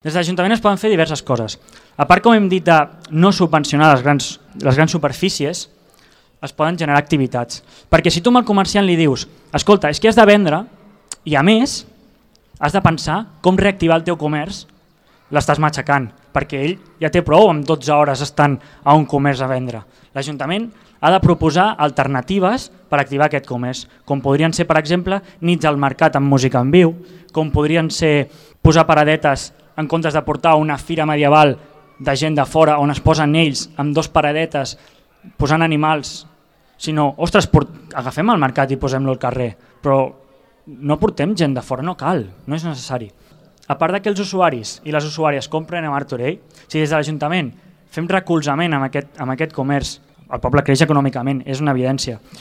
Des de l'Ajuntament es poden fer diverses coses. A part, com hem dit, de no subvencionar les grans superfícies, es poden generar activitats. Perquè si tu al comerciant li dius, escolta, és que has de vendre i a més has de pensar com reactivar el teu comerç, l'estàs matxacant, perquè ell ja té prou amb 12 hores estant a un comerç a vendre. L'Ajuntament ha de proposar alternatives per activar aquest comerç, com podrien ser, per exemple, nits al mercat amb música en viu, com podrien ser posar paradetes en comptes de portar una fira medieval de gent de fora on es posen ells amb dos paradetes posant animals, sinó, ostres, agafem el mercat i posem-lo al carrer, però no portem gent de fora, no cal, no és necessari. A part que els usuaris i les usuàries compren a Martorell, si des de l'Ajuntament fem recolzament amb aquest comerç, el poble creix econòmicament, és una evidència.